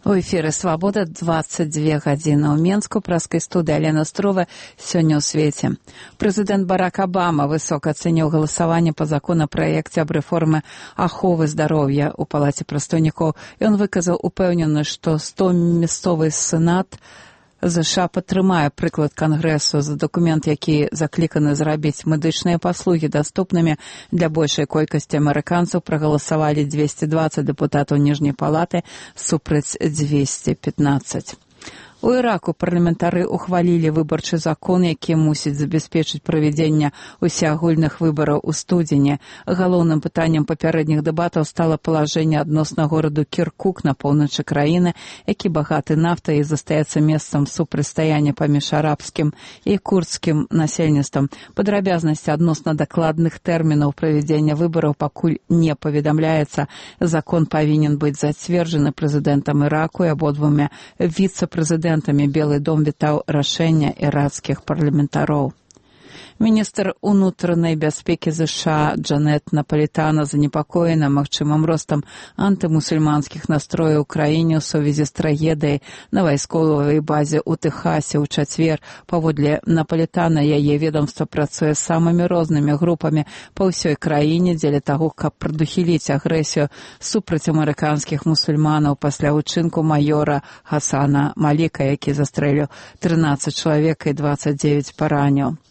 У эфіры «Свабода» 22 гадзіны ў Менску. Праскай студыі Алена Строва. Сёння ў свеце. Прэзідэнт Барак Абама высока ацэніў галасаванне па законапраекце аб рэформе аховы здароўя ў Палаце прадстаўнікоў. Ён выказаў упэўненасць, што 100 мясцовы сенат ЗША падтрымае прыклад Кангрэсу за дакумент, які закліканы зрабіць медычныя паслугі даступнымі для большай колькасці амерыканцаў. Прагаласавалі 220 дэпутатаў ніжняй палаты супраць 215. У Іраку парламентары ухвалілі выбарчы закон, які мусіць забяспечыць правядзенне усеагульных выбараў у студзені. Галоўным пытаннем папярэдніх дэбатаў стала палажэнне адносна гораду Кіркук на поўначы краіны, які багаты нафтай і застаецца месцам супрацьстаяння паміж арабскім і курдскім насельніцтвам. Падрабязнасці адносна дакладных тэрмінаў правядзення выбараў пакуль не паведамляецца. Закон павінен быць зацверджаны прэзідэнтам Іраку і абодвума віцэ-прэзідэнтамі. Белы дом вітаў рашэння іракскіх парламентароў. Міністр унутранай бяспекі ЗША Джанет Напалітана занепакоена магчымым ростам антымусульманскіх настрояў у краіне ў сувязі з трагедыяй на вайсковай базе ў Тэхасе ў чацвер. Паводле Напалітана, яе ведомства працуе з самымі рознымі групамі па ўсёй краіне дзеля таго, каб прадухіліць агрэсію супраць амерыканскіх мусульманаў пасля ўчынку маёра Хасана Маліка, які застрэліў 13 чалавек і 29 параніў.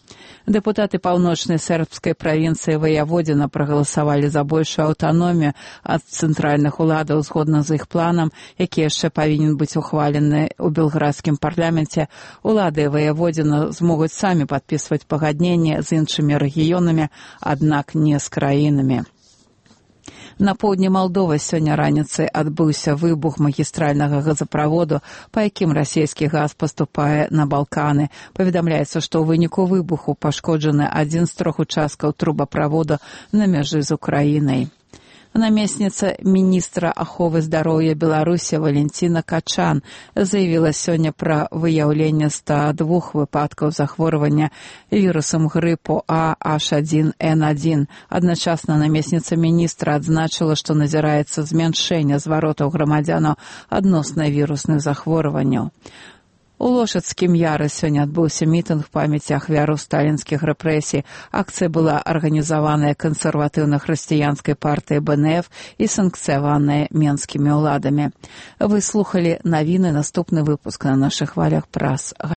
Дэпутаты паўночнай сербскай правінцыі Ваяводзіна прагаласавалі за большую аўтаномію ад цэнтральных уладаў згодна з іх планам, які яшчэ павінен быць ухвалены ў белградскім парламенце. Улады Ваяводзіна змогуць самі падпісваць пагадненне з іншымі рэгіёнамі, аднак не з краінамі. На поўдні Малдовы сёння раніцай адбыўся выбух магістральнага газаправоду, па якім расійскі газ паступае на Балканы. Паведамляецца, што ў выніку выбуху пашкоджаны адзін з 3 участкаў трубаправоду на мяжы з Украінай. Намесніца міністра аховы здароўя Беларусі Валентина Качан заявіла сёння пра выяўленне 102 выпадкаў захворвання вірусам грыпу H1N1. Адначасна намесніца міністра адзначыла, што назіраецца змяншэнне зваротаў грамадзянаў адносна вірусных захворванняў. У Лошадскім Яры сёння адбыўся мітынг памяці ахвяраў сталінскіх рэпрэсій. Акцыя была арганізаваная кансерватыўна-хрысціянскай партыяй БНФ і санкцыяваная менскімі ўладамі. Вы слухалі навіны, наступны выпуск на нашых хвалях праз